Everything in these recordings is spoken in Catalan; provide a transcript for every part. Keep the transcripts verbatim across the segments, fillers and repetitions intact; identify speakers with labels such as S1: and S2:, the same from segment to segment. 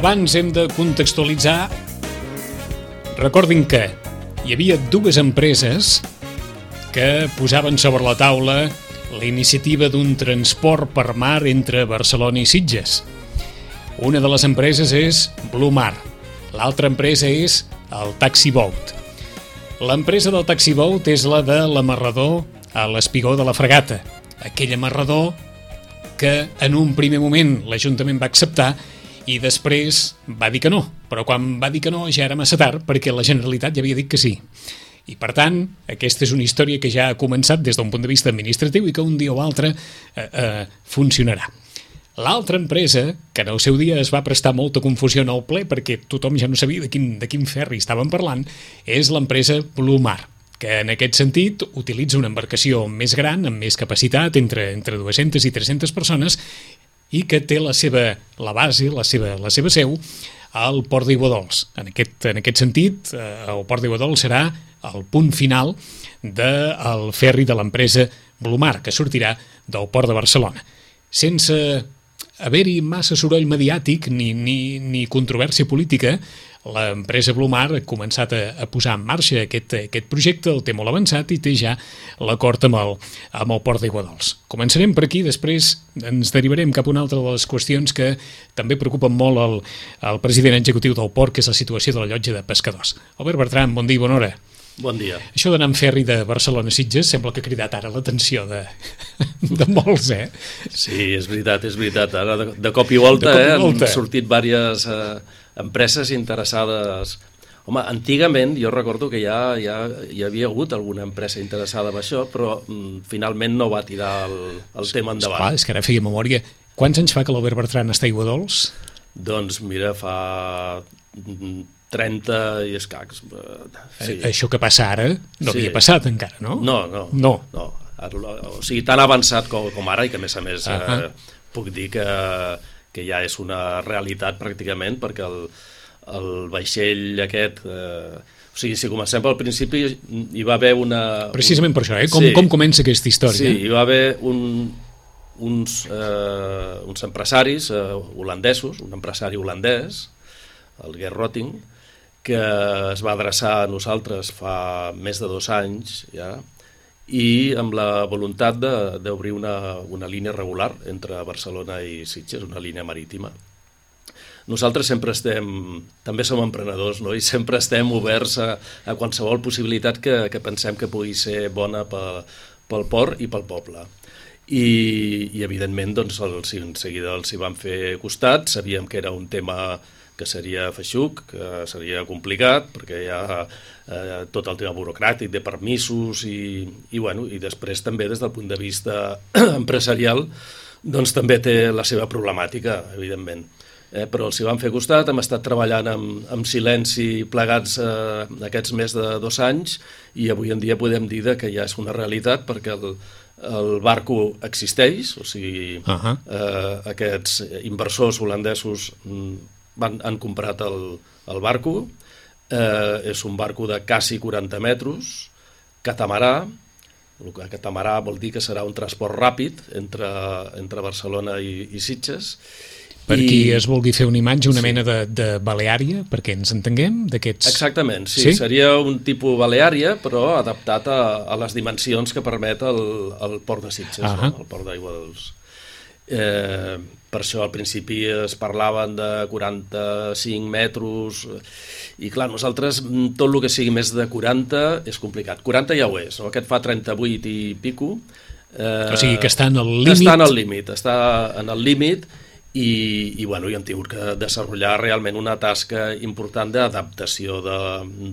S1: Abans hem de contextualitzar. Recordin que hi havia dues empreses que posaven sobre la taula la iniciativa d'un transport per mar entre Barcelona i Sitges. Una de les empreses és Blue Mar, l'altra empresa és el Taxi Boat. L'empresa del Taxi Boat és la de l'amarrador a l'espigó de la Fragata, aquell amarrador que en un primer moment l'Ajuntament va acceptar i després va dir que no, però quan va dir que no ja era massa tard perquè la Generalitat ja havia dit que sí. I per tant, aquesta és una història que ja ha començat des d'un punt de vista administratiu i que un dia o altre eh, eh, funcionarà. L'altra empresa, que en el seu dia es va prestar molta confusió en el ple perquè tothom ja no sabia de quin, de quin ferri estaven parlant, és l'empresa Blue Mar, que en aquest sentit utilitza una embarcació més gran, amb més capacitat, entre, entre dues-centes i tres-centes persones, i que té la seva la base, la seva, la seva seu, al Port d'Iguadols. En aquest, en aquest sentit, eh, el Port d'Iguadols serà el punt final del ferri de l'empresa Blue Mar, que sortirà del Port de Barcelona. Sense haver-hi massa soroll mediàtic ni, ni, ni controvèrsia política, l'empresa Blue Mar ha començat a, a posar en marxa aquest, aquest projecte, el té molt avançat i té ja l'acord amb el, amb el Port d'Iguadols. Començarem per aquí, després ens derivarem cap a una altra de les qüestions que també preocupen molt el, el president executiu del Port, que és la situació de la llotja de pescadors. Albert Bertran, bon dia i bona hora.
S2: Bon dia.
S1: Això d'anar en ferri de Barcelona a Sitges sembla que ha cridat ara l'atenció de, de molts, eh?
S2: Sí, és veritat, és veritat. Ara de, de cop i volta, cop i volta. Eh, han sortit diverses eh, empreses interessades. Home, antigament jo recordo que ja, ja hi havia hagut alguna empresa interessada en això, però mm, finalment no va tirar el, el tema endavant.
S1: Esclar, és que ara feia memòria. Quants anys fa que l'Albert Bertran està a Iguadols?
S2: Doncs mira, fa trenta i escacs. Sí.
S1: Això que passa ara no
S2: sí.
S1: havia passat encara, no?
S2: No, no.
S1: no.
S2: no. O sigui, tan avançat com, com ara, i que a més a més uh -huh. eh, puc dir que, que ja és una realitat pràcticament, perquè el, el vaixell aquest... Eh, o sigui, si comencem pel principi, hi va haver una...
S1: Precisament
S2: un...
S1: per això, eh? Com,
S2: sí.
S1: com comença aquesta història?
S2: Sí, hi va haver un, uns, eh, uns empresaris eh, holandesos, un empresari holandès, el Gert Rotting, que es va adreçar a nosaltres fa més de dos anys ja, i amb la voluntat d'obrir una, una línia regular entre Barcelona i Sitges, una línia marítima. Nosaltres sempre estem, també som emprenedors, no? I sempre estem oberts a, a qualsevol possibilitat que, que pensem que pugui ser bona pel, pel port i pel poble. I, i evidentment, doncs, els, en seguida els hi vam fer costat, sabíem que era un tema que seria feixuc, que seria complicat, perquè hi ha eh, tot el tema burocràtic de permisos i, i, bueno, i després també des del punt de vista empresarial doncs també té la seva problemàtica, evidentment. Eh, però els hi vam fer costat, hem estat treballant amb, amb silenci plegats eh, aquests més de dos anys i avui en dia podem dir que ja és una realitat perquè el, el barco existeix, o sigui, uh-huh. eh, aquests inversors holandesos Van, han comprat el, el barco, eh, és un barco de quasi quaranta metres, catamarà, el que catamarà vol dir que serà un transport ràpid entre, entre Barcelona i, i Sitges.
S1: Per
S2: I...
S1: qui es vulgui fer una imatge, una sí. mena de, de baleària, perquè ens entenguem d'aquests...
S2: Exactament, sí, sí, seria un tipus baleària, però adaptat a, a les dimensions que permet el, el port de Sitges, uh -huh. no? El port d'Iguadols. Eh, per això al principi es parlaven de quaranta-cinc metres i clar, nosaltres tot el que sigui més de quaranta és complicat. quaranta ja ho és, no? Aquest fa trenta-vuit i pico.
S1: Eh, o sigui que està en el límit.
S2: Està en el límit, està en el límit i, i, bueno, i hem tingut que desenvolupar realment una tasca important d'adaptació de,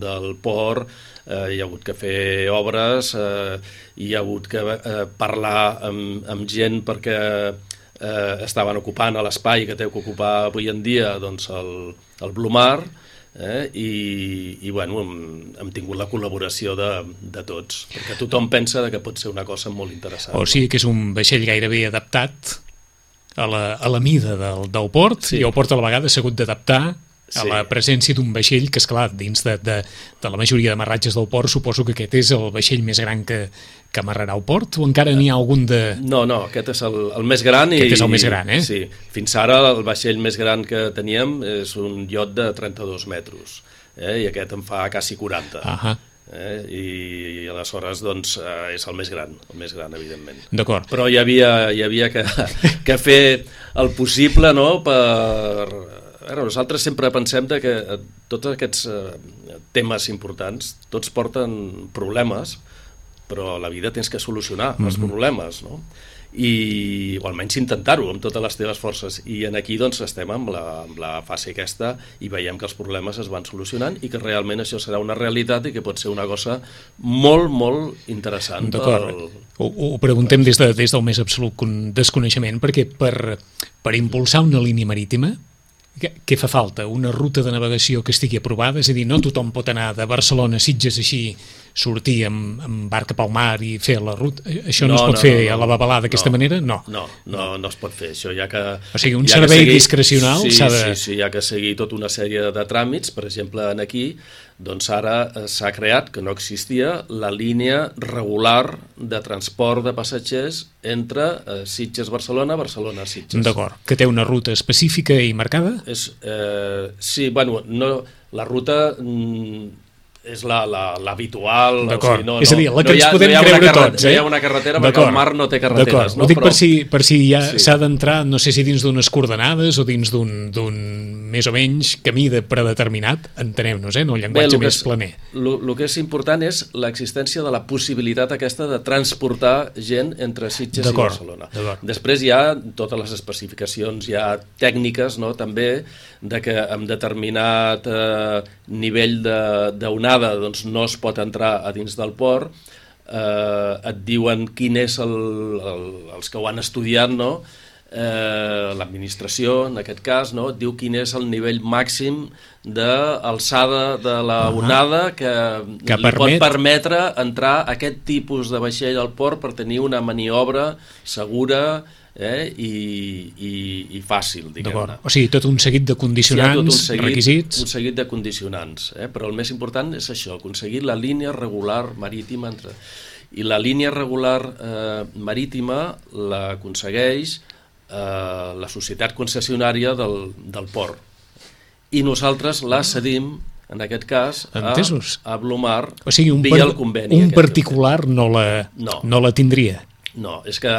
S2: del port. Eh, hi ha hagut que fer obres, eh, hi ha hagut que eh, parlar amb, amb gent perquè Eh, estaven ocupant l'espai que té que ocupar avui en dia doncs el, el Blue Mar eh, i, i bueno, hem, hem tingut la col·laboració de, de tots, perquè tothom pensa que pot ser una cosa molt interessant.
S1: O sigui que és un vaixell gairebé adaptat a la, a la mida del, del port, sí. I el port a la vegada s'ha hagut d'adaptar a la presència d'un vaixell que, esclar, dins de, de, de la majoria d'amarratges del port, suposo que aquest és el vaixell més gran que, que amarrarà al port, o encara n'hi ha algun de...
S2: No, no, aquest és el, el més gran.
S1: Aquest
S2: i,
S1: és el més gran, eh?
S2: Sí, fins ara el vaixell més gran que teníem és un iot de trenta-dos metres, eh? I aquest en fa quasi quaranta.
S1: Ahà.
S2: Eh? I, i aleshores doncs, eh, és el més gran, el més gran, evidentment.
S1: D'acord.
S2: Però hi havia, hi havia que, que fer el possible, no?, per... Ara, nosaltres sempre pensem de que tots aquests eh, temes importants, tots porten problemes, però a la vida tens que solucionar mm-hmm. els problemes, no? I, o almenys intentar-ho amb totes les teves forces. I en aquí doncs estem amb la, amb la fase aquesta i veiem que els problemes es van solucionant i que realment això serà una realitat i que pot ser una cosa molt, molt interessant.
S1: D'acord.
S2: Pel...
S1: Ho, ho preguntem des, de, des del més absolut desconeixement, perquè per, per impulsar una línia marítima, Què, què fa falta? Una ruta de navegació que estigui aprovada? És a dir, no tothom pot anar de Barcelona a Sitges així, sortir amb, amb barca pel mar i fer la ruta. Això no, no es pot no, fer no, no, a la babalà d'aquesta
S2: no,
S1: manera? No.
S2: No, no, no es pot fer. Això ja que...
S1: O sigui, un servei
S2: seguir,
S1: discrecional
S2: sí,
S1: s'ha de...
S2: Sí, sí, hi ha que seguir tota una sèrie de tràmits. Per exemple, en aquí, doncs ara s'ha creat, que no existia, la línia regular de transport de passatgers entre eh, Sitges-Barcelona, Barcelona-Sitges.
S1: D'acord, que té una ruta específica i marcada?
S2: És, eh, sí, bueno, no, la ruta... Mm, és l'habitual. La, la
S1: D'acord, o sigui,
S2: no,
S1: és a dir, la que
S2: no
S1: ens
S2: ha,
S1: podem
S2: no
S1: creure tots.
S2: Eh? No hi ha una carretera perquè el mar no té carreteres.
S1: No? Ho dic
S2: Però...
S1: per si, per si ja
S2: sí.
S1: s'ha d'entrar, no sé si dins d'unes coordenades o dins d'un més o menys camí de predeterminat, entenem-nos, eh? No el llenguatge Bé, més és, planer.
S2: El que és important és l'existència de la possibilitat aquesta de transportar gent entre Sitges i Barcelona. Després hi ha totes les especificacions, hi ha tècniques, no?, també, de que amb determinat eh, nivell d'onada doncs no es pot entrar a dins del port, eh, et diuen quin és el, el, els que ho han estudiat, no? Eh, l'administració, en aquest cas, no? Et diu quin és el nivell màxim d'alçada de la onada que, que li permet... pot permetre entrar aquest tipus de vaixell al port per tenir una maniobra segura, Eh, i, i, i fàcil, diguem-ne.
S1: O sigui, tot un seguit de condicionants, sí, un seguit, requisits...
S2: Un seguit de condicionants, eh? Però el més important és això, aconseguir la línia regular marítima entre... I la línia regular eh, marítima l'aconsegueix eh, la societat concessionària del, del port. I nosaltres la cedim, en aquest cas, a, a Blomar,
S1: o sigui, un
S2: via
S1: per,
S2: el conveni.
S1: Un particular no la,
S2: no.
S1: no la tindria.
S2: No, és que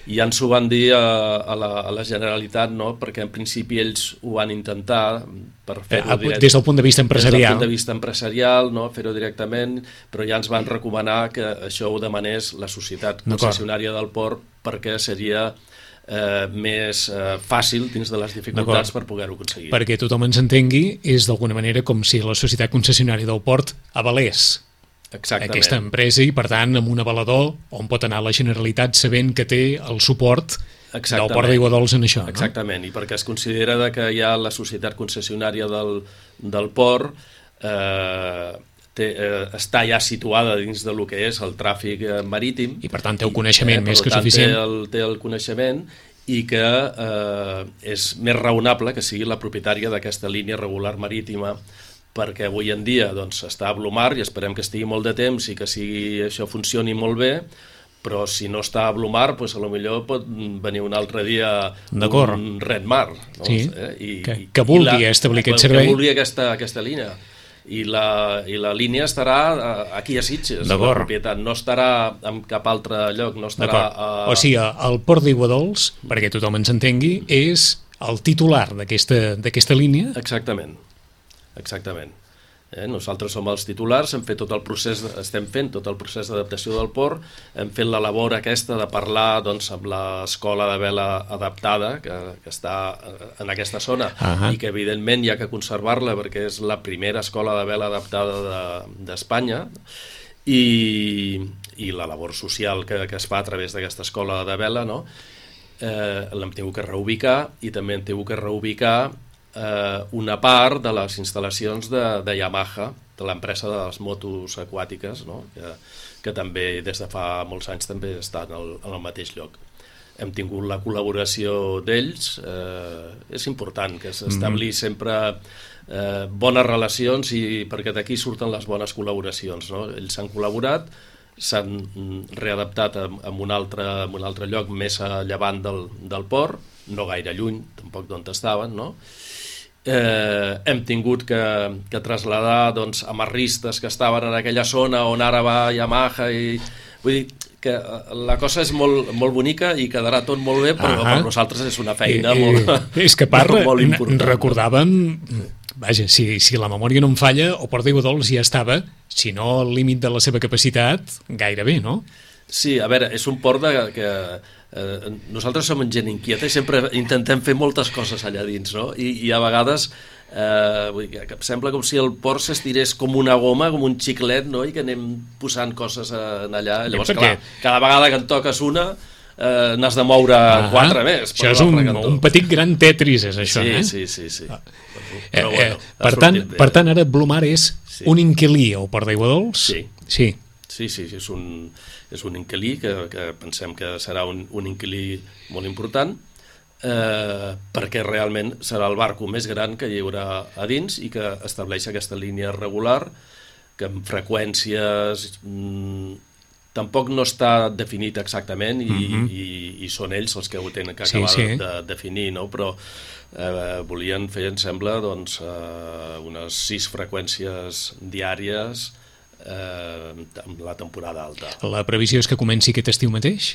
S2: ja ens ho van dir a, a, la, a la Generalitat, no? Perquè en principi ells ho van intentar per fer-ho
S1: direct... des del punt de vista empresarial.
S2: Des del punt de vista empresarial, no? Fer-ho directament, però ja ens van recomanar que això ho demanés la societat concessionària del port perquè seria eh, més eh, fàcil dins de les dificultats per poder-ho aconseguir.
S1: Perquè tothom ens entengui, és d'alguna manera com si la societat concessionària del port avalés
S2: Exactament.
S1: aquesta empresa i, per tant, amb un avalador on pot anar la Generalitat sabent que té el suport Exactament. Del port d'Aiguadols en això.
S2: Exactament,
S1: no?
S2: I perquè es considera que hi ha la societat concessionària del, del port eh, té, eh, està ja situada dins de lo que és el tràfic marítim.
S1: I, per tant, té el coneixement eh, més que
S2: tant,
S1: suficient.
S2: Té el, té el coneixement i que eh, és més raonable que sigui la propietària d'aquesta línia regular marítima, perquè avui en dia doncs, està a Blomar i esperem que estigui molt de temps i que sigui, això funcioni molt bé, però si no està a Blomar, doncs, a lo millor pot venir un altre dia un Redmar. No?
S1: Sí,
S2: eh? I,
S1: que, que vulgui la, establir aquest servei.
S2: Que vulgui aquesta, aquesta línia. I la, I la línia estarà aquí a Sitges, la propietat, no estarà en cap altre lloc, no estarà... A...
S1: O sigui, el port d'Aiguadols, perquè tothom ens entengui, és el titular d'aquesta línia?
S2: Exactament. Exactament. Eh, nosaltres som els titulars, hem fet tot el procés, estem fent tot el procés d'adaptació del port, hem fet la labor aquesta de parlar doncs, amb l'escola de vela adaptada que, que està en aquesta zona uh-huh. i que evidentment hi ha que conservar-la perquè és la primera escola de vela adaptada d'Espanya de, i, i la labor social que, que es fa a través d'aquesta escola de vela, no? eh, l'hem tingut que reubicar i també hem tingut que reubicar Eh, una part de les instal·lacions de, de Yamaha, de l'empresa de les motos aquàtiques, no? que, que també des de fa molts anys també està en el, en el mateix lloc. hem tingut la col·laboració d'ells. Eh, és important que s'establir mm-hmm. sempre eh, bones relacions, i perquè d'aquí surten les bones col·laboracions, no? Ells s'han col·laborat, s'han readaptat en, en, un altre, en un altre lloc més a llevant del, del port, no gaire lluny, tampoc d'on estaven, no? Eh, hem tingut que, que traslladar doncs, amarristes que estaven en aquella zona on ara va Yamaha, i vull dir que la cosa és molt, molt bonica i quedarà tot molt bé, però ah, per nosaltres és una feina eh, molt,
S1: eh, és que part,
S2: molt important.
S1: Recordàvem, vaja, si, si la memòria no em falla, el Port d'Aiguadols ja estava, si no al límit de la seva capacitat, gairebé, no?
S2: Sí, a veure, és un port de, que eh, nosaltres som gent inquieta i sempre intentem fer moltes coses allà dins, no? I, i a vegades eh, vull dir, que sembla com si el port s'estirés com una goma, com un xiclet, no? I que anem posant coses en allà. Llavors, clar, cada vegada que en toques una eh, n'has de moure ah, quatre més.
S1: Això és un, un petit gran Tetris, és això,
S2: sí,
S1: eh?
S2: Sí, sí, sí. Ah.
S1: Però, bueno, eh, per, tant, per tant, ara Blumar és sí. un inquilí al Port d'Aiguadols?
S2: Sí.
S1: Sí.
S2: Sí, sí, és un, és un inquilí que, que pensem que serà un, un inquilí molt important, eh, perquè realment serà el barco més gran que hi haurà a dins i que estableix aquesta línia regular, que amb freqüències mmm, tampoc no està definit exactament, i, mm-hmm. i, i són ells els que ho tenen que acabar sí, sí. de definir, no? Però eh, volien fer, em sembla, doncs, eh, unes sis freqüències diàries Eh, amb la temporada alta.
S1: La previsió és que comenci aquest estiu mateix?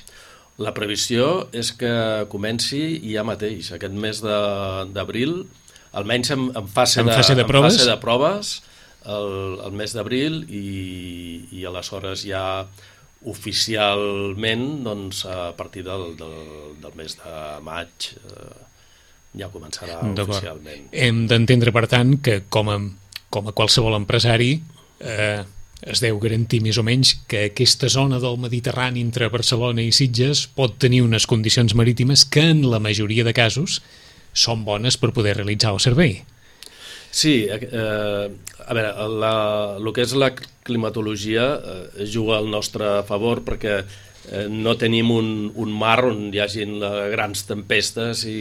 S2: La previsió és que comenci ja mateix, aquest mes d'abril, almenys en, en, fase,
S1: en,
S2: de,
S1: fase, de
S2: en
S1: proves?
S2: fase de proves, el, el mes d'abril, i, i aleshores ja oficialment doncs, a partir del, del, del mes de maig eh, ja començarà oficialment.
S1: Hem d'entendre, per tant, que com a, com a qualsevol empresari eh, es deu garantir més o menys que aquesta zona del Mediterrani entre Barcelona i Sitges pot tenir unes condicions marítimes que en la majoria de casos són bones per poder realitzar el servei.
S2: Sí, eh, a veure, la, el que és la climatologia eh, juga al nostre favor, perquè eh, no tenim un, un mar on hi hagin grans tempestes i,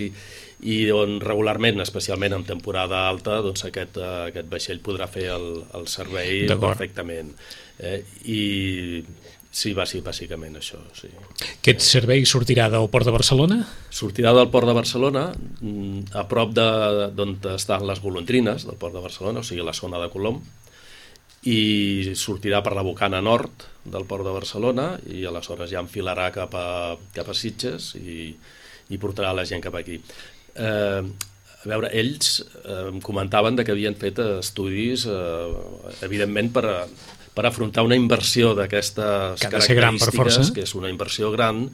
S2: i on regularment, especialment en temporada alta, doncs aquest, uh, aquest vaixell podrà fer el, el servei perfectament. Eh? I sí, va ser bàsicament això. Sí.
S1: Aquest servei sortirà del Port de Barcelona?
S2: Sortirà del Port de Barcelona, a prop d'on estan les golondrines del Port de Barcelona, o sigui, la zona de Colom, i sortirà per la bocana nord del Port de Barcelona, i aleshores ja enfilarà cap a, cap a Sitges i, i portarà la gent cap aquí. Eh, a veure, ells eh, em comentaven de que havien fet estudis eh, evidentment per, a, per afrontar una inversió d'aquestes característiques, que és una inversió gran,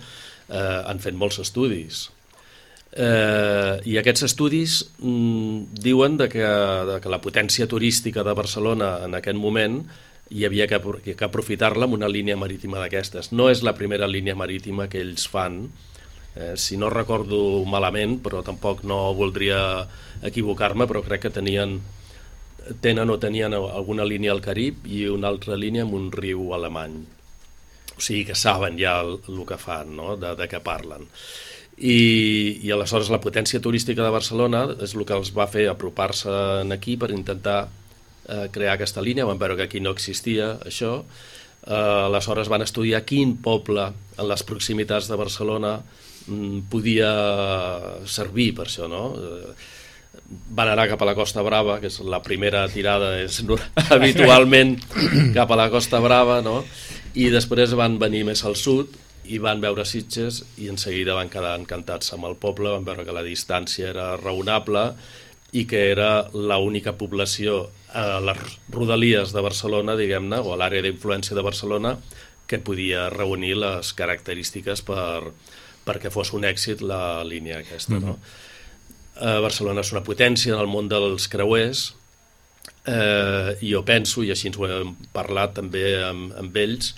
S2: eh, han fet molts estudis eh, i aquests estudis mm, diuen de que, de que la potència turística de Barcelona en aquest moment hi havia que, que aprofitar-la amb una línia marítima d'aquestes. No és la primera línia marítima que ells fan. Eh, si no recordo malament, però tampoc no voldria equivocar-me, però crec que tenien, tenen o tenien alguna línia al Carib i una altra línia amb un riu alemany. O sigui que saben ja el, el que fan, no? de, de què parlen. I, I aleshores la potència turística de Barcelona és el que els va fer apropar-se aquí per intentar eh, crear aquesta línia. Van veure que aquí no existia això. Eh, aleshores van estudiar quin poble en les proximitats de Barcelona podia servir per això, no? Van anar cap a la Costa Brava, que és la primera tirada, és habitualment cap a la Costa Brava, no? I després van venir més al sud i van veure Sitges i en seguida van quedar encantats amb el poble, van veure que la distància era raonable i que era l'única població a les rodalies de Barcelona, diguem-ne, o a l'àrea d'influència de Barcelona, que podia reunir les característiques per perquè fos un èxit la línia aquesta. Mm-hmm. No? Eh, Barcelona és una potència en el món dels creuers, eh, i jo penso, i així ens ho hem parlat també amb, amb ells,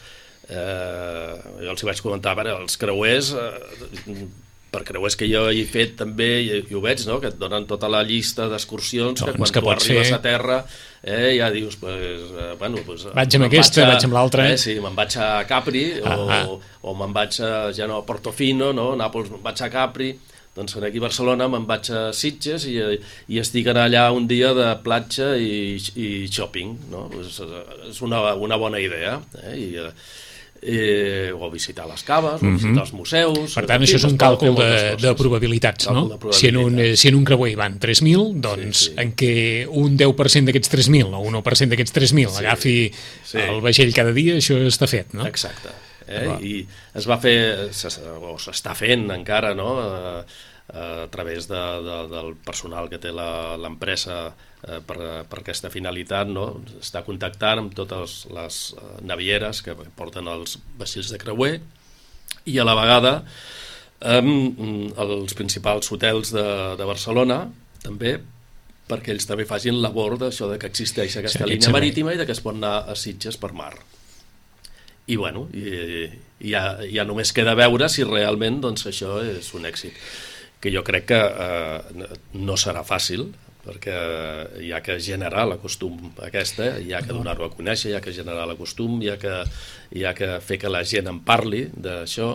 S2: eh, jo els hi vaig comentar, veure, els creuers eh, per creuers que jo he fet també, i, i ho veig, no? Que et donen tota la llista d'excursions, que quan
S1: que
S2: tu arribes
S1: fer...
S2: a terra eh, ja dius, pues, eh, bueno, pues,
S1: vaig amb aquesta, vaig, a, vaig amb l'altra.
S2: Eh, sí, me'n vaig a Capri, ah, o, ah. o me'n vaig a, ja no, a Portofino, no? Nàpols, me'n vaig a Capri, doncs aquí a Barcelona me'n vaig a Sitges i, i estic allà un dia de platja i, i shopping, no? És, és una, una bona idea, eh? I, Eh, o visitar les caves, o visitar els museus...
S1: Per tant, això és un càlcul de, de probabilitats, no? De probabilitats. Si, en un, si en un creuer hi van tres mil, doncs sí, sí. En què un deu per cent d'aquests tres mil o un u per cent d'aquests tres mil sí, agafi sí. El vaixell cada dia, això està fet, no?
S2: Exacte. Eh? I es va fer, o s'està fent encara, no?, a, a través de, de, del personal que té l'empresa eh, per, per aquesta finalitat, no? Està contactant amb totes les navieres que porten els vaixells de creuer i a la vegada amb els principals hotels de, de Barcelona també, perquè ells també facin labor d'això de que existeix aquesta sí, línia marítima i de que es pot anar a Sitges per mar. I bueno, i, i ja, ja només queda veure si realment doncs, això és un èxit, que jo crec que eh, no serà fàcil, perquè hi ha que generar la costum aquesta, hi ha que donar-ho a conèixer, hi ha que generar la costum, hi ha que, hi ha que fer que la gent en parli d'això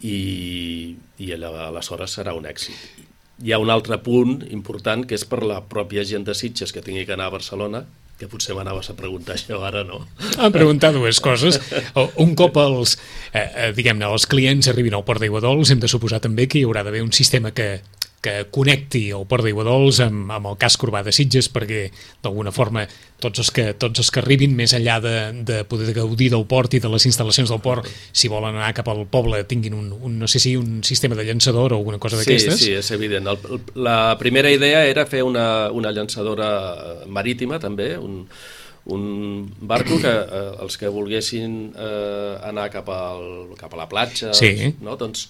S2: i, i aleshores serà un èxit. Hi ha un altre punt important que és per la pròpia gent de Sitges que tingui que anar a Barcelona, que potser m'anaves a preguntar això ara, no?
S1: A preguntar dues coses. Un cop els, eh, diguem-ne, els clients arribin al Port d'Aiguadols, hem de suposar també que hi haurà d'haver un sistema que, que connecti el Port d'Aiguadols amb, amb el casc urbà de Sitges, perquè d'alguna forma tots els que, tots els que arribin més enllà de, de poder gaudir del port i de les instal·lacions del port, si volen anar cap al poble tinguin un, un no sé si un sistema de llançador o alguna cosa d'aquestes.
S2: Sí, sí, és evident. El, la primera idea era fer una, una llançadora marítima també, un, un barco que eh, els que volguessin eh, anar cap, al, cap a la platja,
S1: sí.
S2: No? Doncs,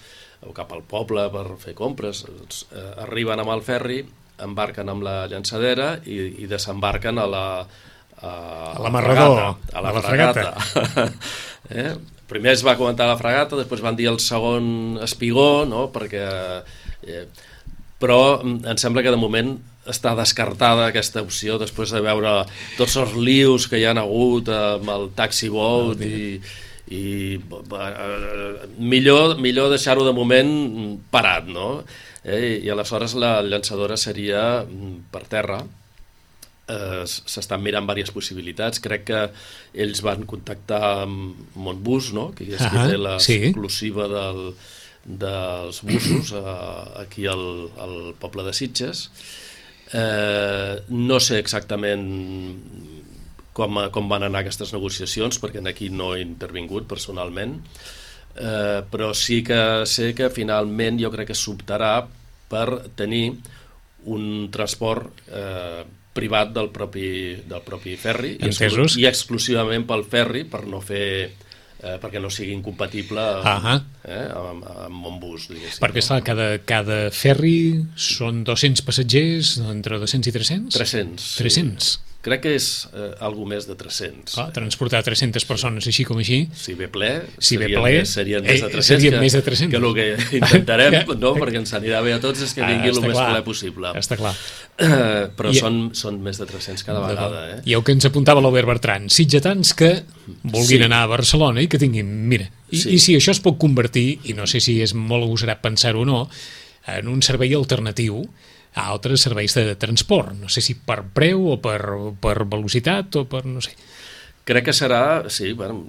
S2: o cap al poble per fer compres, doncs, eh, arriben amb el ferri, embarquen amb la llançadera i, i desembarquen a la a,
S1: a l'amarrador,
S2: a la, a la fregata. fregata. eh? Primer es va comentar la fregata, després van dir el segon espigó, no? Perquè, eh, però em sembla que de moment està descartada aquesta opció després de veure tots els lius que hi han hagut amb el taxi boat i i eh, millor, millor deixar-ho de moment parat, no? Eh, I aleshores la llançadora seria per terra. Eh, s'estan mirant diverses possibilitats. Crec que ells van contactar amb Montbus, no? Que és uh-huh, qui té l'exclusiva sí. del, dels busos eh, aquí al, al poble de Sitges. Eh, no sé exactament Com, com van anar aquestes negociacions, perquè aquí no he intervingut personalment, eh, però sí que sé que finalment jo crec que s'optarà per tenir un transport eh, privat del propi, del propi ferri i, exclu i exclusivament pel ferri per no fer eh, perquè no sigui incompatible
S1: uh-huh.
S2: eh, amb, amb Montbus, diguéssim.
S1: Perquè esclar, cada, cada ferri són dos-cents passatgers, entre dos-cents i tres-cents?
S2: tres-cents.
S1: tres-cents.
S2: Sí. Crec que és eh, algo més de tres-cents.
S1: Ah, transportar tres-centes persones així com així.
S2: Si ve ple,
S1: si
S2: serien,
S1: ve ple
S2: més, serien més de tres-cents.
S1: Serien
S2: que,
S1: més de tres-cents.
S2: Que el que intentarem, no? Perquè ens anirà bé a tots és que vingui ah, el més
S1: clar.
S2: ple possible.
S1: Està clar.
S2: Eh, però I, són, són més de tres-cents cada vegada. Eh?
S1: I el que ens apuntava l'Albert Bertran, sitgetans que vulguin sí. anar a Barcelona i que tinguin... Mira, i, sí. i si això es pot convertir, i no sé si és molt agosarat pensar-ho o no, en un servei alternatiu a altres serveis de transport, no sé si per preu o per, per velocitat o per no sé.
S2: Crec que serà, sí, bueno,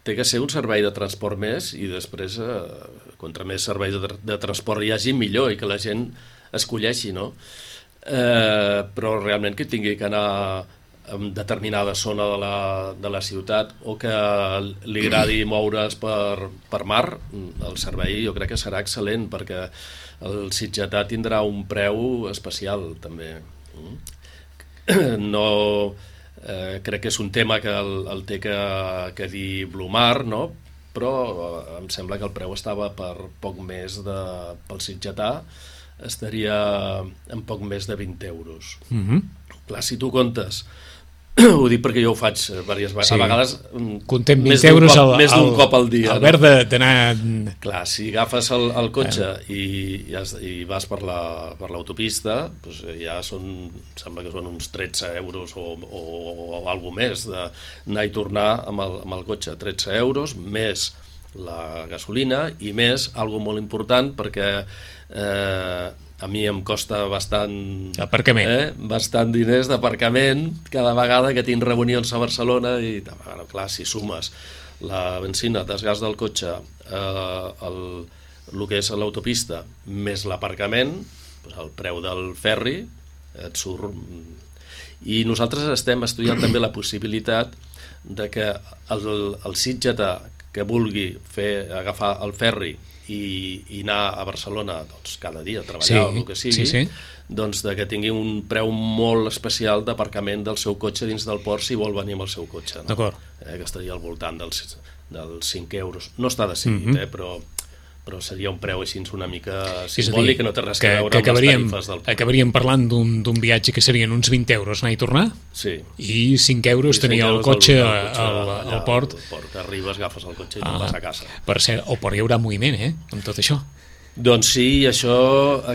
S2: té que ser un servei de transport més i després, eh, contra més serveis de, de transport hi hagi, millor, i que la gent escolleixi, no? Eh, però realment que tingui que anar en determinada zona de la, de la ciutat o que li agradi moure's per, per mar, el servei jo crec que serà excel·lent perquè el sitgetà tindrà un preu especial també. No, eh, crec que és un tema que el, el té que, que dir Blumar, no? Però em sembla que el preu estava per poc més de, pel sitgetà estaria en poc més de vint euros.
S1: Mm-hmm.
S2: Clar, si tu comptes Ho dic perquè jo ho faig diverses vegades, sí. A vegades
S1: contem vint euros
S2: cop, més d'un cop al dia.
S1: El verd d'anar...
S2: Clar, si agafes el, el cotxe eh. i, i, has, i vas per la, per l'autopista, doncs ja són, sembla que són uns tretze euros o, o, o alguna més d'anar i tornar amb el, amb el cotxe. tretze euros, més la gasolina i més, algo molt important, perquè eh, a mi em costa bastant
S1: aparcament.
S2: Eh, bastant diners d'aparcament cada vegada que tinc reunions a Barcelona i, bueno, clar, si sumes la benzina, el desgast del cotxe, eh, el, el que és l'autopista, més l'aparcament, doncs el preu del ferri et surt... I nosaltres estem estudiant també la possibilitat de que el, el sitgetà que vulgui fer, agafar el ferri i, i anar a Barcelona doncs, cada dia a treballar, sí, o el que sigui, sí, sí. Doncs de que tingui un preu molt especial d'aparcament del seu cotxe dins del port si vol venir amb el seu cotxe. No?
S1: D'acord.
S2: Eh, que estaria al voltant dels, dels cinc euros. No està decidit, mm-hmm. eh, però... però seria un preu així una mica simbòlic, que no té res que, que veure amb les tarifes del port.
S1: Acabaríem parlant d'un viatge que serien uns vint euros anar i tornar,
S2: sí.
S1: I cinc euros I tenia el cotxe, el, el, cotxe al, allà, al port.
S2: Al port, que arribes, agafes el cotxe i ah, te'n vas a casa.
S1: Per cert, o per hi haurà moviment, eh, amb tot això.
S2: Doncs sí, això,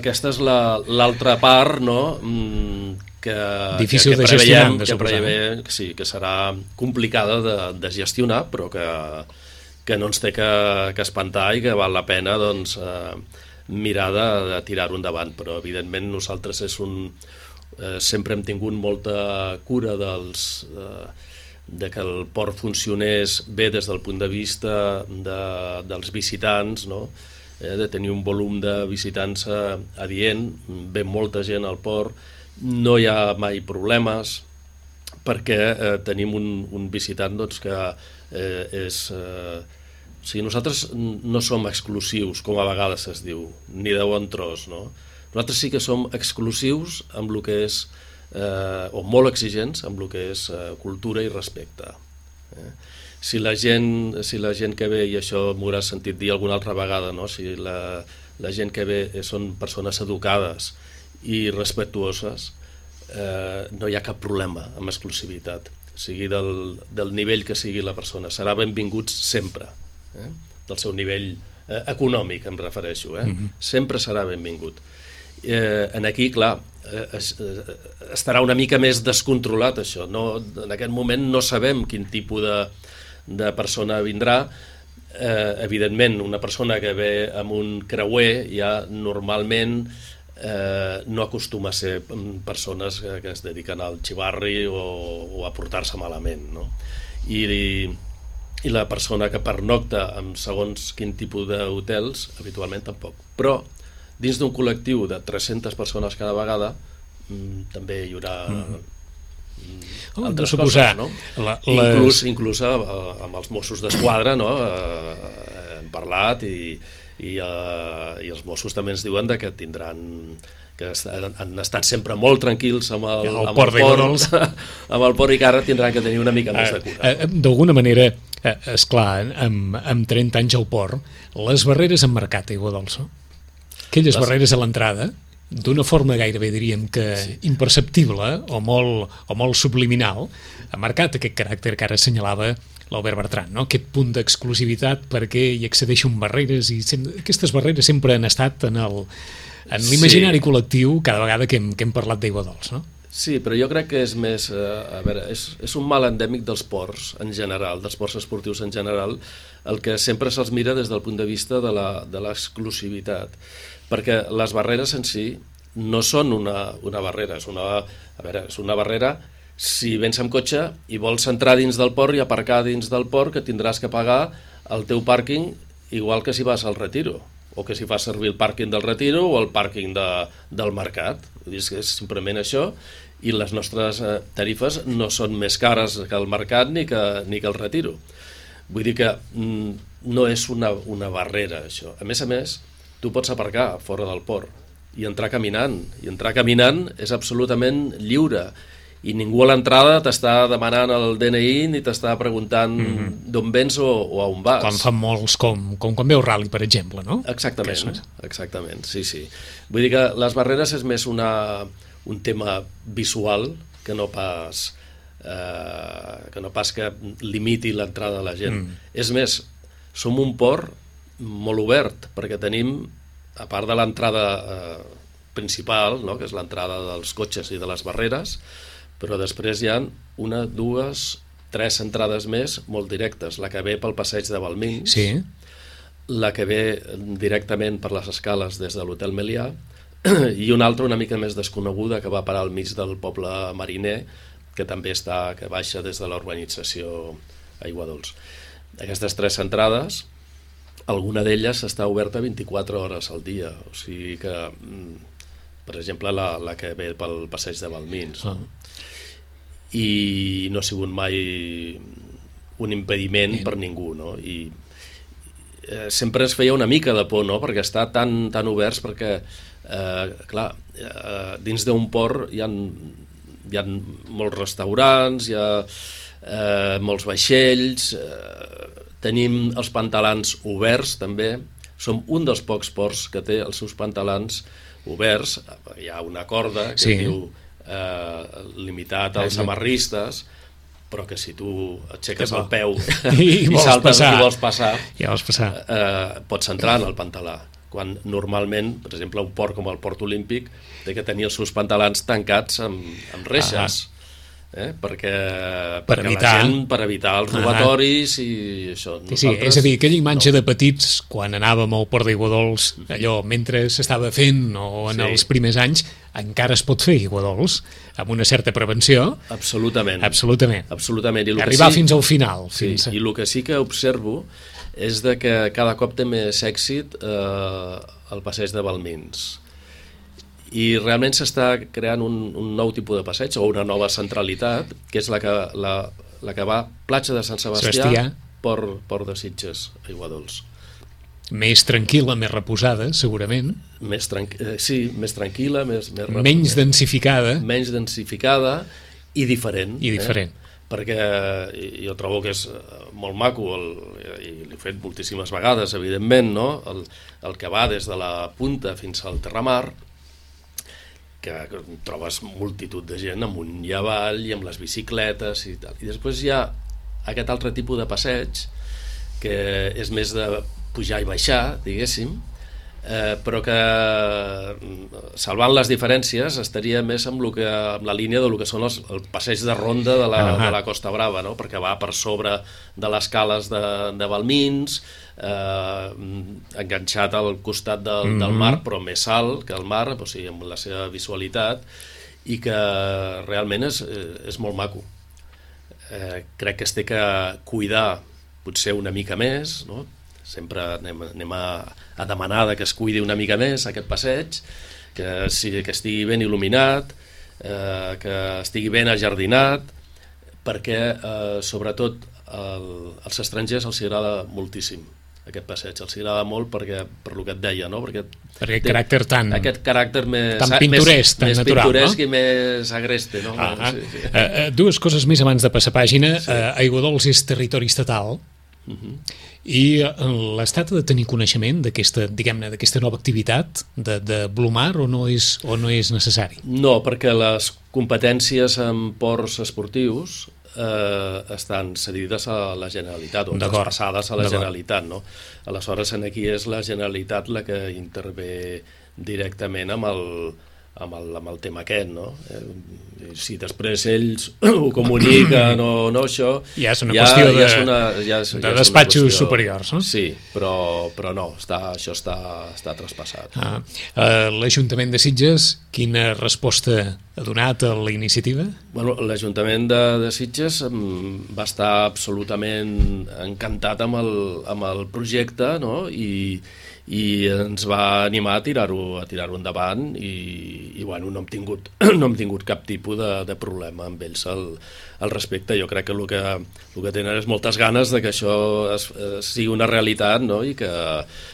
S2: aquesta és l'altra la, part, no?, que,
S1: difícil
S2: que, que
S1: de gestionar, de
S2: que prevé, que sí, que serà complicada de, de gestionar, però que que no ens té que, que espantar i que val la pena doncs, eh, mirar de, de tirar-ho endavant, però evidentment nosaltres és un, eh, sempre hem tingut molta cura dels, eh, de que el port funcionés bé des del punt de vista de, dels visitants, no? eh, de tenir un volum de visitants eh, adient, ve molta gent al port, no hi ha mai problemes, perquè eh, tenim un, un visitant doncs, que eh, és... Eh, o sigui, nosaltres no som exclusius, com a vegades es diu, ni de bon tros, no? Nosaltres sí que som exclusius amb el que és, eh, o molt exigents amb el que és eh, cultura i respecte. Eh? Si la gent, si la gent que ve, i això m'ho hauràs sentit dir alguna altra vegada, no? Si la, la gent que ve són persones educades i respectuoses, eh, no hi ha cap problema amb exclusivitat, sigui del, del nivell que sigui la persona, serà benvinguts sempre. Eh? Del seu nivell eh, econòmic em refereixo, eh? Mm-hmm. Sempre serà benvingut. Eh, en aquí, clar, eh, es, eh, estarà una mica més descontrolat això, no, en aquest moment no sabem quin tipus de, de persona vindrà. Eh, evidentment, una persona que ve amb un creuer ja normalment eh, no acostuma a ser persones que, que es dediquen al xivarri o, o a portar-se malament, no? I, i i la persona que pernocta amb segons quin tipus d'hotels, habitualment tampoc. Però dins d'un col·lectiu de tres-centes persones cada vegada mmm, també hi haurà mm. altres
S1: oh,
S2: coses, no?
S1: La, les...
S2: Inclús, inclús amb els Mossos d'Esquadra, no? Eh, hem parlat i, i, eh, i els Mossos també ens diuen que tindran... que han estat sempre molt tranquils amb el,
S1: el
S2: amb
S1: port,
S2: el port, amb el port i que ara tindran que tenir una mica més de cura.
S1: Uh, uh, D'alguna manera, uh, esclar, amb, amb trenta anys al port, les barreres han marcat Aigua Dolça. Aquelles les... barreres a l'entrada, d'una forma gairebé diríem que sí. imperceptible o molt, o molt subliminal, ha marcat aquest caràcter que ara assenyalava l'Albert Bertran, no? Aquest punt d'exclusivitat perquè hi accedeixen barreres i sem- aquestes barreres sempre han estat en el en l'imaginari sí. col·lectiu cada vegada que hem, que hem parlat d'Aigua Dolça, no?
S2: Sí, però jo crec que és més... Eh, a veure, és, és un mal endèmic dels ports en general, dels ports esportius en general, el que sempre se'ls mira des del punt de vista de la, de l'exclusivitat, perquè les barreres en si no són una, una barrera, és una, a veure, és una barrera si vens amb cotxe i vols entrar dins del port i aparcar dins del port, que tindràs que pagar el teu pàrquing igual que si vas al Retiro, o que si fas servir el pàrquing del Retiro o el pàrquing de, del Mercat. Vull dir, és simplement això, i les nostres eh, tarifes no són més cares que el Mercat ni que, ni que el Retiro. Vull dir que mm, no és una, una barrera, això. A més a més, tu pots aparcar fora del port i entrar caminant, i entrar caminant és absolutament lliure, i ningú a l'entrada t'està demanant el D N I ni t'està preguntant mm-hmm. d'on vens o, o a on vas.
S1: Quan fan molts, com, com quan veu rally, per exemple, no?
S2: Exactament, és... exactament, sí, sí. Vull dir que les barreres és més una, un tema visual que no pas eh, que no pas que limiti l'entrada de la gent.
S1: Mm.
S2: És més, som un port molt obert, perquè tenim, a part de l'entrada eh, principal, no? Que és l'entrada dels cotxes i de les barreres, però després hi ha una, dues, tres entrades més molt directes. La que ve pel passeig de Balmins,
S1: Sí.
S2: la que ve directament per les escales des de l'Hotel Melià, i una altra una mica més desconeguda que va parar al mig del poble mariner, que també està, que baixa des de la urbanització Aiguadols. Aquestes tres entrades, alguna d'elles està oberta vint-i-quatre hores al dia, o sigui que, per exemple, la, la que ve pel passeig de Balmins,
S1: Ah.
S2: i no ha sigut mai un impediment Bien. per ningú, no? I eh, sempre es feia una mica de por, no? Perquè està tan, tan oberts, perquè eh, clar, eh, dins d'un port hi ha, hi ha molts restaurants, hi ha eh, molts vaixells, eh, tenim els pantalans oberts també, som un dels pocs ports que té els seus pantalans oberts, hi ha una corda que
S1: Sí.
S2: diu eh, limitat als amarristes, però que si tu aixeques el peu
S1: I,
S2: i
S1: vols
S2: saltes
S1: passar.
S2: i vols passar,
S1: Ja vols passar.
S2: eh, pots entrar en el pantalà, quan normalment, per exemple, un port com el Port Olímpic té que tenir els seus pantalans tancats amb, amb reixes, eh? perquè,
S1: Per
S2: perquè
S1: evitar.
S2: la gent, per evitar els robatoris i això.
S1: Sí, sí, és a dir, aquella imatge no. de petits, quan anàvem al Port d'Aiguadols, allò, mentre s'estava fent, o en
S2: Sí.
S1: els primers anys, encara es pot fer Aiguadols, amb una certa prevenció.
S2: Absolutament.
S1: Absolutament.
S2: Absolutament. I el que
S1: Arribar
S2: sí,
S1: fins al final.
S2: Sí,
S1: fins a...
S2: i el que sí que observo és de que cada cop té més èxit eh, el passeig de Balmins. I realment s'està creant un, un nou tipus de passeig, o una nova centralitat, que és la que, la, la que va platja de Sant Sebastià,
S1: Sebastià.
S2: Port, Port de Sitges, Aiguadols.
S1: Més tranquil·la, més reposada, segurament.
S2: Més tranqui eh, sí, més tranquil·la, més, més
S1: Menys densificada.
S2: menys densificada i diferent.
S1: I diferent.
S2: Eh? Perquè jo trobo que és molt maco, el, i l'he fet moltíssimes vegades, evidentment, no? el, el que va des de la punta fins al Terramar, que trobes multitud de gent amunt i avall i amb les bicicletes i tal. I després hi ha aquest altre tipus de passeig que és més de pujar i baixar, diguéssim, eh, però que, salvant les diferències, estaria més amb, lo que, amb la línia de lo que són els, el passeig de ronda de la, uh -huh. de la Costa Brava, no? Perquè va per sobre de les cales de, de Balmins, eh, enganxat al costat del, uh -huh. del mar, però més alt que el mar, o sigui, amb la seva visualitat, i que realment és, és molt maco. Eh, crec que es té que cuidar potser una mica més, no? Sempre anem, anem a, a demanar que es cuidi una mica més aquest passeig, que, sigui, que estigui ben il·luminat, eh, que estigui ben ajardinat, perquè eh, sobretot el, als estrangers els agrada moltíssim aquest passeig, els agrada molt perquè, per el que et deia, no? Perquè
S1: Per aquest caràcter tan...
S2: Aquest caràcter més...
S1: tan pintoresc,
S2: més,
S1: tan
S2: més
S1: natural,
S2: pintoresc
S1: no?
S2: i més agreste, no?
S1: Ah, ah.
S2: Sí, sí.
S1: Uh, uh, dues coses més abans de passar pàgina. Sí. Uh, Aiguadols és territori estatal, uh -huh. i l'Estat ha de tenir coneixement d'aquesta, diguem-ne, d'aquesta nova activitat de, de Blumar, o no és, o no és necessari?
S2: No, perquè les competències en ports esportius eh, estan cedides a la Generalitat, o traspassades a la Generalitat, no? Aleshores, aquí és la Generalitat la que intervé directament amb el, amb el, amb el tema aquest, no? Eh, si després ells ho comuniquen o no, això...
S1: Ja és una ja, qüestió de,
S2: ja és una, ja és,
S1: de
S2: ja és
S1: despatxos
S2: qüestió,
S1: superiors, no?
S2: Sí, però, però no, està, això està, està traspassat.
S1: Ah, uh, L'Ajuntament de Sitges, quina resposta ha donat a la iniciativa?
S2: Bueno, l'Ajuntament de, de Sitges va estar absolutament encantat amb el, amb el projecte, no? I, i ens va animar a tirar-ho a tirar-ho endavant i, i bueno, no hem tingut, no hem tingut cap tipus de, de problema amb ells al, al respecte. Jo crec que el, que el que tenen és moltes ganes de que això es, es sigui una realitat, no? I que,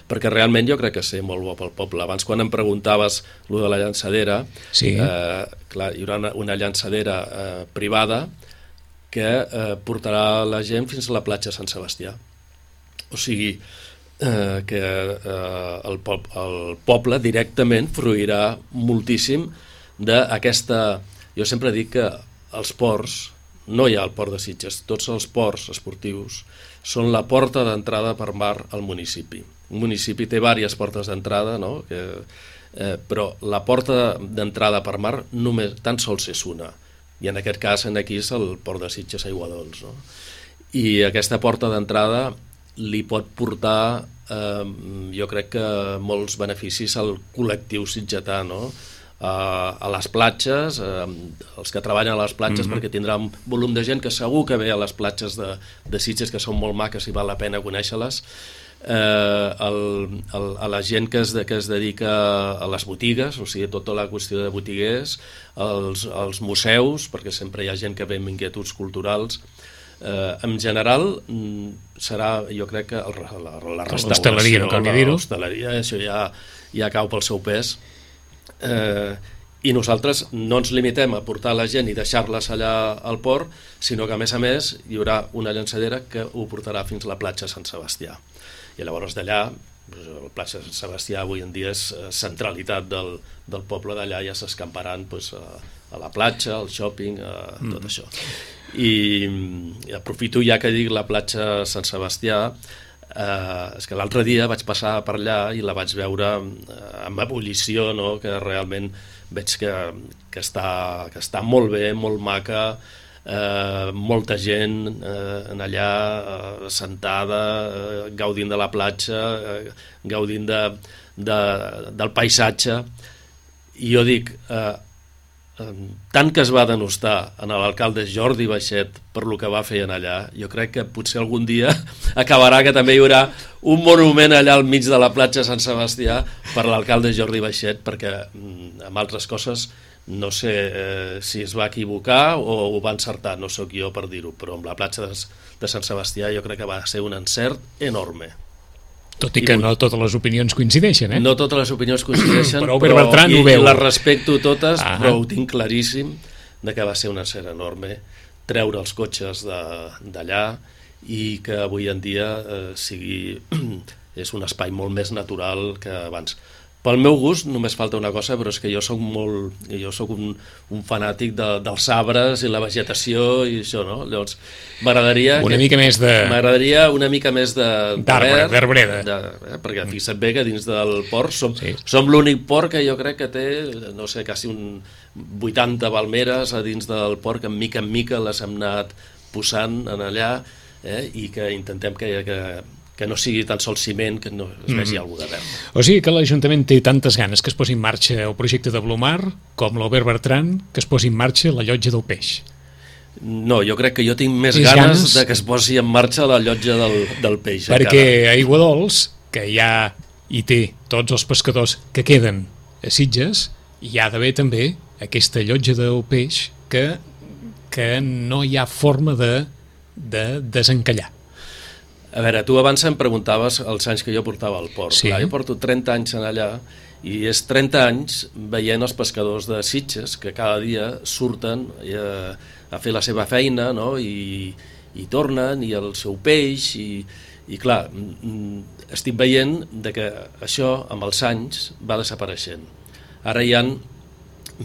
S2: perquè realment jo crec que sé molt bo pel poble. Abans, quan em preguntaves lo de la llançadera,
S1: sí.
S2: eh, clar, hi haurà una, una llançadera eh, privada que eh, portarà la gent fins a la platja Sant Sebastià. O sigui, eh, que eh, el, pop, el poble directament fruirà moltíssim d'aquesta... Jo sempre dic que els ports no hi ha el port de Sitges, tots els ports esportius són la porta d'entrada per mar al municipi. Un municipi té diverses portes d'entrada, no? que, eh, però la porta d'entrada per mar només tan sols és una, i en aquest cas en aquí és el port de Sitges Aiguadols, no? I aquesta porta d'entrada li pot portar eh, jo crec que molts beneficis al col·lectiu sitgetà, no? A, a les platges, eh, els que treballen a les platges, mm-hmm. perquè tindrà un volum de gent que segur que ve a les platges de, de Sitges, que són molt maques i val la pena conèixer-les, eh, el, el, a la gent que es, de, que es dedica a les botigues, o sigui, tota la qüestió de botiguers, als, als museus, perquè sempre hi ha gent que ve amb inquietuds culturals. Eh, en general serà, jo crec que el, la, la restauració,
S1: no
S2: l'hostaleria, això ja, ja cau pel seu pes. Eh, i nosaltres no ens limitem a portar la gent i deixar-les allà al port, sinó que a més a més hi haurà una llançadera que ho portarà fins a la platja Sant Sebastià, i llavors d'allà la platja Sant Sebastià avui en dia és centralitat del, del poble d'allà, ja s'escamparan pues, a, a la platja, al shopping, a tot mm. això. I, i aprofito ja que dic la platja Sant Sebastià. Eh, és que l'altre dia vaig passar per allà i la vaig veure eh, amb ebullició, no? Que realment veig que, que, està, que està molt bé, molt maca, eh, molta gent eh, en allà eh, sentada, eh, gaudint de la platja, eh, gaudint de, de, del paisatge. I jo dic, eh, tant que es va denostar en l'alcalde Jordi Baixet per lo que va fer en allà, jo crec que potser algun dia acabarà que també hi haurà un monument allà al mig de la platja Sant Sebastià per l'alcalde Jordi Baixet, perquè amb altres coses no sé eh, si es va equivocar o ho va encertar, no sóc jo per dir-ho, però amb la platja de, de Sant Sebastià jo crec que va ser un encert enorme.
S1: Tot i que I no totes les opinions coincideixen, eh?
S2: No totes les opinions coincideixen,
S1: però, però Bertran
S2: i,
S1: ho veu.
S2: I les respecto totes, ah. però ho tinc claríssim de que va ser un encert enorme treure els cotxes d'allà i que avui en dia eh, sigui és un espai molt més natural que abans. Pel meu gust només falta una cosa, però és que jo soc molt, jo soc un, un fanàtic de, dels arbres i la vegetació i això, no? Llavors m'agradaria
S1: una mica més de
S2: m'agradaria una mica més de
S1: d'arbre, d'arbreda,
S2: eh, perquè fixa't bé que dins del port som, sí. som l'únic port que jo crec que té, no sé, quasi un vuitanta palmeres a dins del port, que en mica en mica les hem anat posant en allà, eh, i que intentem que, que que no sigui tan sols ciment, que no es vegi mm. alguna de verd.
S1: O sigui que l'Ajuntament té tantes ganes que es posi en marxa el projecte de Blumar, com l'Albert Bertran, que es posi en marxa la llotja del peix.
S2: No, jo crec que jo tinc més ganes, ganes de que es posi en marxa la llotja del, del peix.
S1: Perquè encara. A Aiguadols, que ja hi té tots els pescadors que queden a Sitges, hi ha d'haver també aquesta llotja del peix que, que no hi ha forma de, de desencallar.
S2: A veure, tu abans em preguntaves els anys que jo portava al port.
S1: Sí.
S2: Clar, jo porto trenta anys en allà i és trenta anys veient els pescadors de Sitges que cada dia surten a, a fer la seva feina, no? I, i tornen, i el seu peix, i, i clar, estic veient de que això amb els anys va desapareixent. Ara hi ha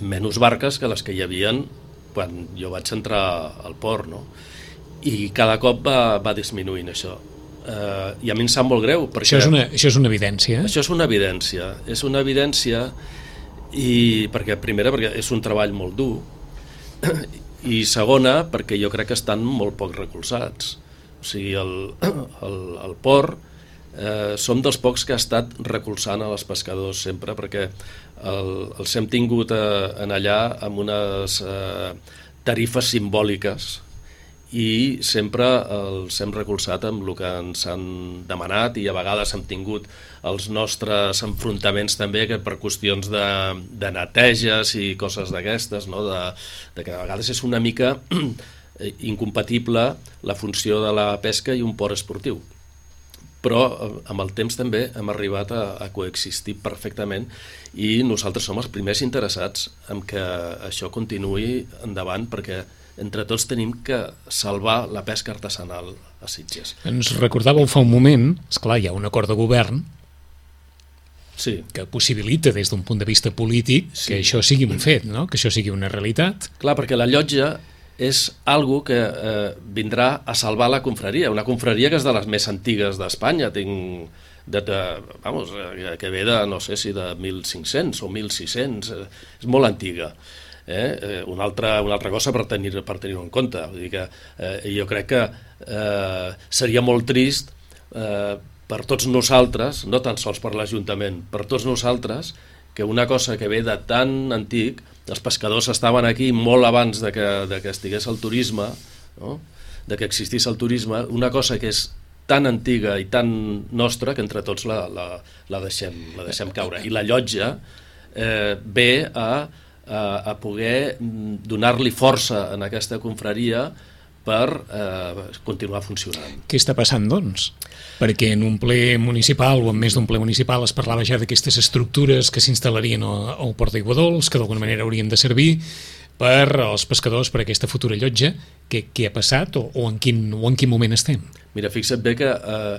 S2: menys barques que les que hi havien quan jo vaig entrar al port, no? I cada cop va, va disminuint això. Uh, i a mi em sap molt greu perquè
S1: això és una, això és una evidència
S2: això és una evidència és una evidència i perquè primera perquè és un treball molt dur i segona perquè jo crec que estan molt poc recolzats, o sigui el, el, el port eh, som dels pocs que ha estat recolzant a els pescadors sempre, perquè el, els hem tingut eh, en allà amb unes eh, tarifes simbòliques i sempre els hem recolzat amb el que ens han demanat, i a vegades hem tingut els nostres enfrontaments també que per qüestions de, de neteges i coses d'aquestes, no? de, de que a vegades és una mica incompatible la funció de la pesca i un port esportiu, però amb el temps també hem arribat a, a coexistir perfectament i nosaltres som els primers interessats en que això continuï endavant, perquè entre tots tenim que salvar la pesca artesanal a Sitges.
S1: Ens recordàveu fa un moment, esclar, hi ha un acord de govern
S2: sí.
S1: que possibilita des d'un punt de vista polític sí. que això sigui un fet, no? Que això sigui una realitat.
S2: Clar, perquè la llotja és algo que eh, vindrà a salvar la confraria, una confraria que és de les més antigues d'Espanya, tinc de, de, vamos, que ve de, no sé si de mil cinc-cents o mil sis-cents, eh, és molt antiga. Eh? Una, altra, una altra cosa per tenir, per tenir-ho en compte. Vull dir que eh, jo crec que eh, seria molt trist eh, per tots nosaltres, no tan sols per l'Ajuntament, per tots nosaltres, que una cosa que ve de tan antic, els pescadors estaven aquí molt abans de que, de que estigués el turisme, no? De que existís el turisme, una cosa que és tan antiga i tan nostra que entre tots la, la, la, deixem, la deixem caure. I la llotja eh, ve a a poder donar-li força en aquesta confraria per eh, continuar funcionant.
S1: Què està passant, doncs? Perquè en un ple municipal o en més d'un ple municipal es parlava ja d'aquestes estructures que s'instal·larien al Port d'Aiguadols, que d'alguna manera haurien de servir per als pescadors, per aquesta futura llotja. Què, què ha passat o, o, en quin, o en quin moment estem?
S2: Mira, fixa't bé que eh,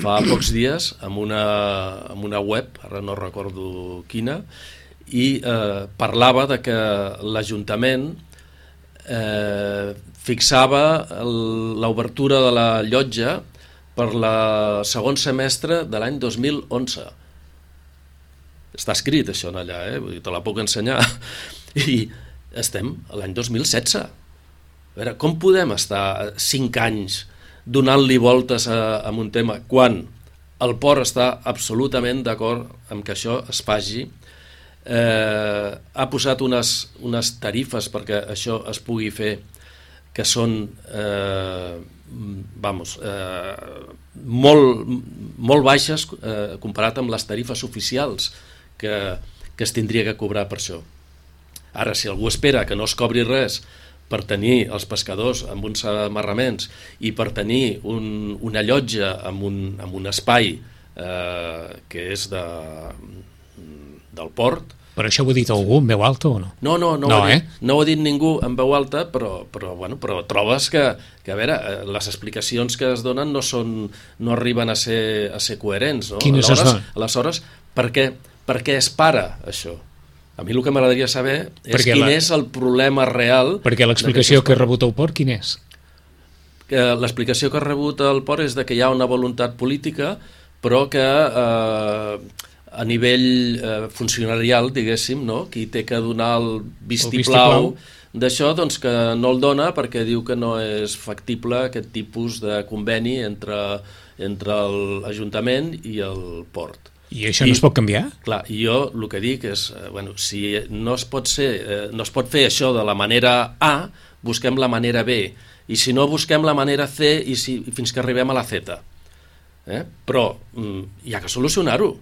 S2: fa pocs dies, amb una, amb una web, ara no recordo quina, i eh, parlava de que l'Ajuntament eh, fixava l'obertura de la llotja per la segon semestre de l'any dos mil onze. Està escrit això en allà, eh? Vull dir, te la puc ensenyar. I estem a l'any dos mil setze. A veure, com podem estar cinc anys donant-li voltes a, a un tema quan el port està absolutament d'acord amb que això es faci? Eh, ha posat unes, unes tarifes perquè això es pugui fer que són eh, vamos, eh, molt, molt baixes eh, comparat amb les tarifes oficials que, que es tindria que cobrar per això. Ara, si algú espera que no es cobri res per tenir els pescadors amb uns amarraments i per tenir un, una llotja amb un, amb un espai eh, que és de del port.
S1: Però això ho ha dit algú en veu alta o no?
S2: No, no, no,
S1: no,
S2: ho, ha
S1: eh?
S2: dit, no ho ha dit ningú en veu alta, però, però, bueno, però trobes que, que a veure, les explicacions que es donen no, són, no arriben a ser, a ser coherents. No?
S1: Quines es donen?
S2: Aleshores, per què, per què es para això? A mi el que m'agradaria saber és perquè quin la... és el problema real...
S1: Perquè l'explicació que ha rebut el port, quin és?
S2: L'explicació que ha rebut el port és de que hi ha una voluntat política, però que... Eh, a nivell eh, funcionarial, diguéssim, no? Qui té que donar el vistiplau, vistiplau d'això, doncs que no el dona perquè diu que no és factible aquest tipus de conveni entre, entre l'Ajuntament i el port.
S1: I això no I, es pot canviar?
S2: Clar, i jo el que dic és, eh, bueno, si no es pot ser, eh, no es pot fer això de la manera A, busquem la manera B, i si no busquem la manera C i si, fins que arribem a la Z. Eh? Però mm, hi ha que solucionar-ho.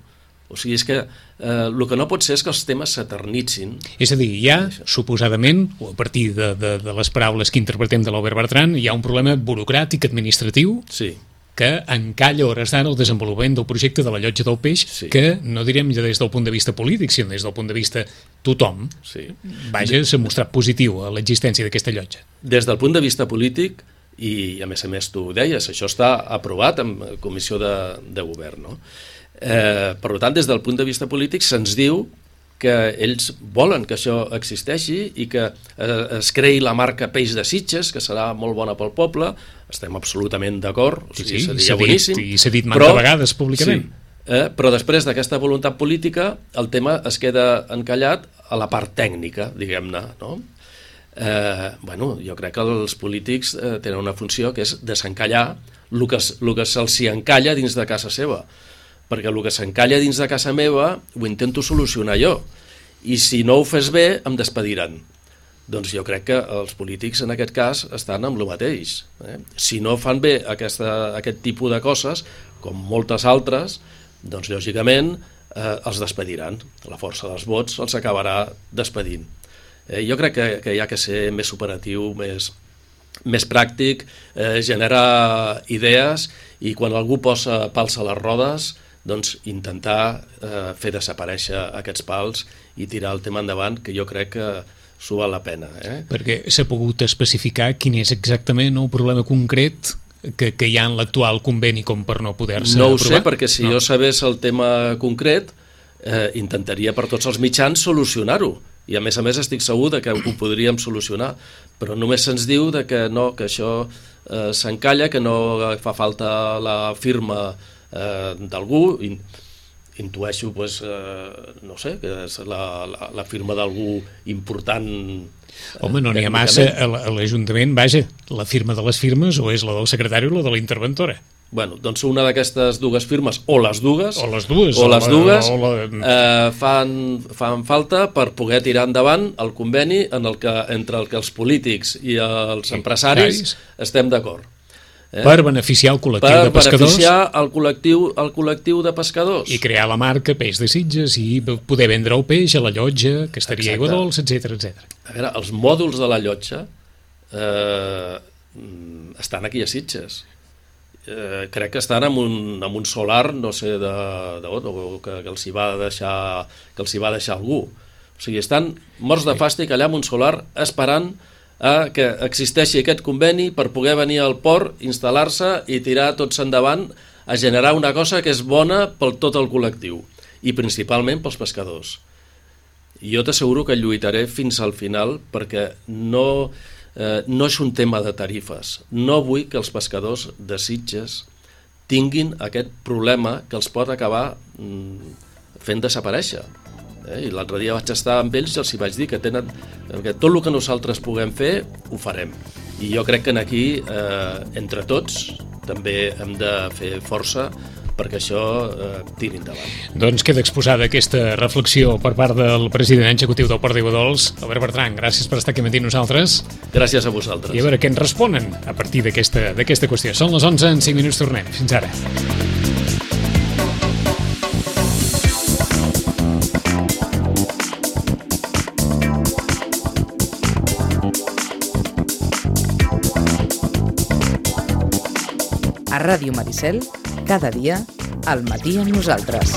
S2: O sigui, és que eh, el que no pot ser és que els temes s'eternitzin. És
S1: a dir, hi ha, suposadament, o a partir de, de, de les paraules que interpretem de l'Albert Bertran, hi ha un problema burocràtic administratiu
S2: sí.
S1: que encalla a hores d'ara el desenvolupament del projecte de la llotja del peix, sí. que no direm ja des del punt de vista polític, sinó des del punt de vista tothom,
S2: sí.
S1: vaja, s'ha mostrat positiu a l'existència d'aquesta llotja.
S2: Des del punt de vista polític, i a més a més tu ho deies, això està aprovat en comissió de, de govern, no? Eh, per tant, des del punt de vista polític se'ns diu que ells volen que això existeixi i que eh, es creï la marca Peix de Sitges, que serà molt bona pel poble. Estem absolutament d'acord, o sigui,
S1: sí,
S2: seria boníssim.
S1: I s'ha dit mantes vegades públicament.
S2: Sí, eh, però després d'aquesta voluntat política el tema es queda encallat a la part tècnica, diguem-ne, no? Eh, bueno, jo crec que els polítics eh, tenen una funció que és desencallar el que, el que se'ls encalla dins de casa seva, perquè el que s'encalla dins de casa meva ho intento solucionar jo, i si no ho fes bé em despediran. Doncs jo crec que els polítics en aquest cas estan amb el mateix. Eh? Si no fan bé aquesta, aquest tipus de coses, com moltes altres, doncs lògicament eh, els despediran. La força dels vots els acabarà despedint. Eh, jo crec que, que hi ha que ser més operatiu, més, més pràctic, eh, generar idees, i quan algú posa pals a les rodes, doncs intentar eh, fer desaparèixer aquests pals i tirar el tema endavant, que jo crec que s'ho val la pena. Eh?
S1: Perquè s'ha pogut especificar quin és exactament el problema concret que, que hi ha en l'actual conveni com per no poder-se
S2: aprovar? No ho
S1: aprovar?
S2: sé, perquè si no. jo sabés el tema concret, eh, intentaria per tots els mitjans solucionar-ho. I a més a més estic segur de que ho podríem solucionar, però només se'ns diu de que no, que això eh, s'encalla, que no fa falta la firma eh, d'algú. Intueixo, pues, eh, no sé, que és la, la, la firma d'algú important.
S1: Home, no n'hi ha massa a l'Ajuntament, vaja, la firma de les firmes o és la del secretari o la de la interventora.
S2: Bueno, doncs una d'aquestes dues firmes, o les dues,
S1: o les dues,
S2: o les dues
S1: o la...
S2: eh, fan, fan falta per poder tirar endavant el conveni en el que, entre el que els polítics i els empresaris estem d'acord.
S1: Eh? Per beneficiar el col·lectiu
S2: per
S1: de pescadors.
S2: Per beneficiar el col·lectiu, el col·lectiu de pescadors.
S1: I crear la marca Peix de Sitges i poder vendre el peix a la llotja, que estaria Aigua Dolça, etcètera, etcètera.
S2: A veure, els mòduls de la llotja eh, estan aquí a Sitges. Eh, crec que estan en un, en un solar, no sé, de, de, de, que, que els hi va deixar, que els hi va deixar algú. O sigui, estan morts de fàstic allà en un solar esperant a que existeixi aquest conveni per poder venir al port, instal·lar-se i tirar tots endavant a generar una cosa que és bona per tot el col·lectiu i principalment pels pescadors. I jo t'asseguro que lluitaré fins al final perquè no, eh, no és un tema de tarifes. No vull que els pescadors de Sitges tinguin aquest problema que els pot acabar mm, fent desaparèixer. Eh? I l'altre dia vaig estar amb ells i els hi vaig dir que tenen que tot el que nosaltres puguem fer ho farem, i jo crec que aquí eh, entre tots també hem de fer força perquè això eh, tiri endavant.
S1: Doncs queda exposada aquesta reflexió per part del president executiu del Port d'Aigua Dolça, Albert Bertran. Gràcies per estar aquí amb nosaltres.
S2: Gràcies a vosaltres.
S1: I a veure què ens responen a partir d'aquesta d'aquesta qüestió. Són les onze, en cinc minuts tornem. Fins ara.
S3: A Ràdio Maricel, cada dia, al matí amb nosaltres.